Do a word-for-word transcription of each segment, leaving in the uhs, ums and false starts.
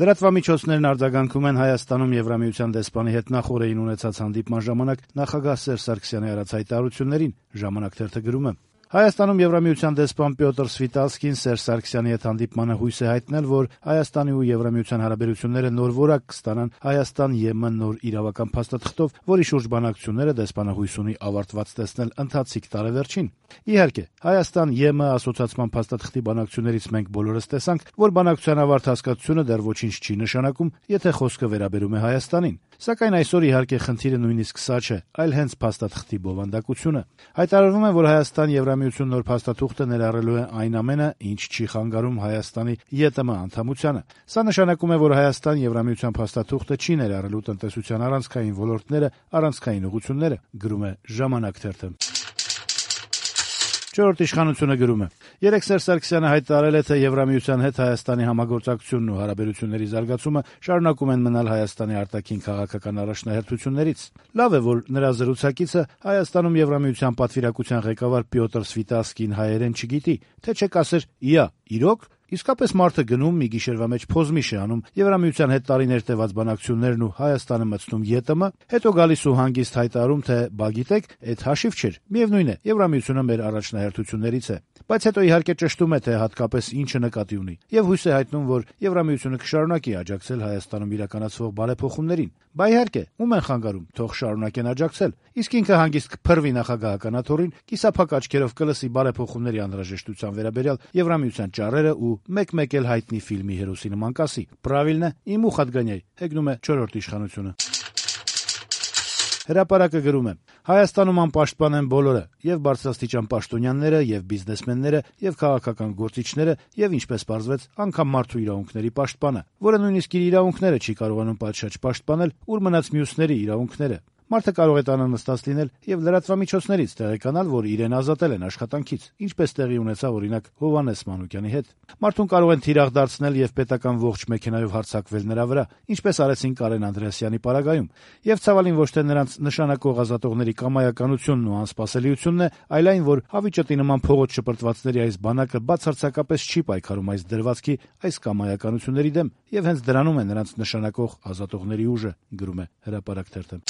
Լրատվամիջոցներն արձագանքում են Հայաստանում Եվրամիության դեսպանի հետ նախօրեին ունեցած հանդիպման ժամանակ նախագահ Սերժ Սարգսյանի արած հայտարարություններին։ Ժամանակ թերթը գրում է. Հայաստանում Եվրամիության դեսպան Պյոտր Սվիտալսկին Սերժ Սարգսյանի հետ հանդիպմանը հույս է հայտնել, որ Հայաստանի ու Եվրամիության հարաբերությունները նոր որակ կստանան Հայաստան-ԵՄ նոր իրավական փաստաթղթով, որի շուրջ բանակցությունները դեսպանը հույս ունի ավարտված տեսնել ընթացիկ տարեվերջին։ Իհարկե, Հայաստան-ԵՄ ասոցիացման փաստաթղթի բանակցություններից մենք բոլորս տեսանք, որ բանակցության ավարտ հասկացությունը դեռ ոչինչ չի նշանակում, եթե խոսքը վերաբերում է Հայաստանին։ Սակայն այսօր իհարկե խնդիրը նույնիսկ սա չէ, այլ հենց փաստաթղթի բովանդակությունը։ Հայտարարվում է, որ Հայաստան-Եվրամիություն նոր փաստաթուղթը ներառելու է այն ամենը, ինչ չի խանգարում Հայաստանի ԵՏՄ անդամությանը։ Սա նշանակում է, որ Հայաստան-Եվրամիության փաստաթուղթը չի ներառելու տնտեսության առանցքային ոլորտները, առանցքային ուղղությունները, գրում է «Ժամանակ» թերթը։ Չորրորդ իշխանությունը գրում է. Երեկ Սերժ Սարգսյանը հայտարարել է, թե Եվրամիության հետ Հայաստանի համագործակցությունն ու հարաբերությունների զարգացումը շարունակում են մնալ Հայաստանի արտաքին քաղաքական առաջնահերթություններից։ Լավ է, որ նրա զրուցակիցը Հայաստանում Եվրամիության պատվիրակության ղեկավար Պյոտր Սվիտալսկին հայերեն չգիտի, թե չէ կասեր՝ «Իա, իրոք»։ Իսկապես մարդը գնում մի գիշերվա մեջ փոզմիշ է անում Եվրամիության հետ տարիներ տևած բանակցություններն ու Հայաստանը մտցնում ԵՏՄ, հետո գալիս ու հանգիստ հայտարարում, թե բա գիտեք, այդ հաշիվ չէր, միևնույն է, Եվրամիությունը մեր առաջնահերթություններից է, բայց հետո իհարկե ճշտում է, թե հատկապես ինչը նկատի ունի, եւ հույս է հայտնում, որ Եվրամիությունը կշարունակի աջակցել Հայաստանում իրականացվող բարեփոխումներին։ Բա իհարկե, ում են խանգարում, թող շարունակեն աջակցել, իսկ ինքը հանգիստ կփռվի նախագահական աթոռին, կիսափակ աչքերով կլսի բարեփոխումների անհրաժեշտության վերաբերյալ Եվրամիության ճառերը ու մեկ-մեկ էլ հայտնի ֆիլմի հերոսի նման կասի. «Պրավիլնե, իմ ուխ отгоняй», հեգնում է չորրորդ իշխանությունը։ Հրապարակը գրում է. Հայաստանում անպաշտպան են բոլորը, եւ բարձրաստիճան պաշտոնյաները, եւ բիզնեսմենները, եւ քաղաքական գործիչները, եւ ինչպես պարզվեց, անգամ մարդու իրավունքների պաշտպանը, որը նույնիսկ իր իրավունքները չի կարողանում պատշաճ պաշտպանել, ուր մնաց մյուսների իրավունքները։ Մարդը կարող է տանը նստած լինել եւ լրատվամիջոցներից տեղեկանալ, որ իրեն ազատել են աշխատանքից, ինչպես տեղի ունեցավ օրինակ Հովհաննես Մանուկյանի հետ։ Մարդուն կարող են թիրախ դարձնել եւ պետական ողջ մեքենայով հարձակվել նրա վրա, ինչպես արեցին Կարեն Անդրեասյանի պարագայում։ Եվ ցավալին ոչ թե նրանց նշանակող ազատողների կամայականությունն ու անսպասելիությունն է, այլ այն, որ հավիճտի նման փողոց շպրտվածների այս բանակը բացարձակապես չի պայքարում այս դրվածքի, այս կամայականությունների դեմ, եւ հենց դրանում է նրանց նշանակող ազատողների ուժը, գրում է Հրապարակ թերթը։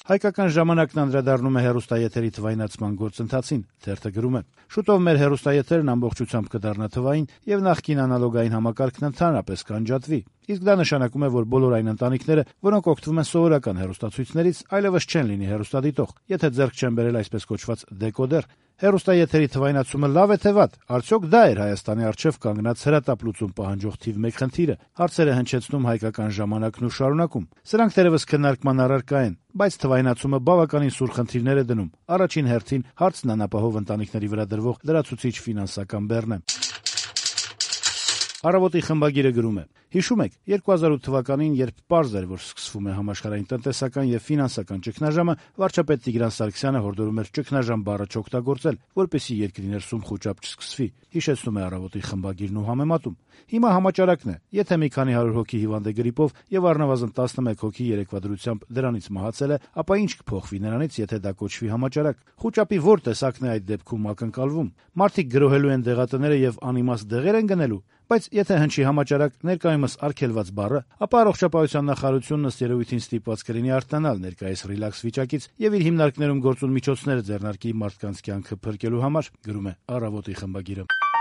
Հայկական ժամանակն անդրադառնում է հեռուստաեթերի թվայնացման գործընթացին, թերթը գրում է. Շուտով մեր հեռուստաեթերն ամբողջությամբ կդառնա թվային եւ նախկին անալոգային համակարգն ընդհանրապես կանջատվի։ Իսկ դա նշանակում է, որ բոլոր այն ընտանիքները, որոնք օգտվում են սովորական հեռուստացույցներից, այլևս չեն լինի հեռուստադիտող, եթե ձեռք չեն բերել այսպես կոչված դեկոդեր։ Հեռուստաեթերի թվայնացումը լավ է թե վատ։ Արդյոք դա էր Հայաստանի առջև կանգնած հրատապ լուծում պահանջող թիվ մեկ խնդիրը։ Հարցերը հնչեցնում Հայկական ժամանակն ու շարունակում։ Սրանք թերևս քննարկման առարկա են, բայց թվայնացումը բավականին սուր խնդիրներ է դնում։ Առաջին հերթին հարցն անապահով ընտանիքների վրա դրվող լրացուցիչ ֆինանսական բեռն է։ Առավոտի խմբագիրը գրում է. Հիշում եք, երկու հազար ութ թվականին, երբ պարզ էր, որ սկսվում է համաշխարհային տնտեսական եւ ֆինանսական ճգնաժամը, վարչապետ Տիգրան Սարգսյանը հորդորում էր ճգնաժամ բառը չօգտագործել, որպեսզի երկրի ներսում խոճապ չսկսվի։ Հիշեցնում է Առավոտի խմբագիրն ու համեմատում։ Հիմա համաճարակն է, եթե մի քանի հարյուր հոգի հիվանդ է գրիպով եւ առնվազն տասնմեկ հոգի երեկվա դրությամբ դրանից մահացել է, ապա ինչ կփոխվի նրանից, եթե դա կոչվի համաճարակ։ Խոճապի ո՞ր տեսակն է այդ դեպքում ակնկալվում։ Մարդիկ գրոհելու են դեղատները եւ անիմաստ դեղեր են գնելու։ Բայց եթե հնչի համաճարակ ներկայումս արգելված բառը, ապա առողջապահության նախարարությունն ըստ երևույթին ստիպված կլինի արտանալ ներկայիս ռիլաքս վիճակից եւ իր հիմնարկներում գործուն միջոցները ձեռնարկի մարդկանց կյանքը փրկելու համար, գրում է Առավոտի խմբագիրը։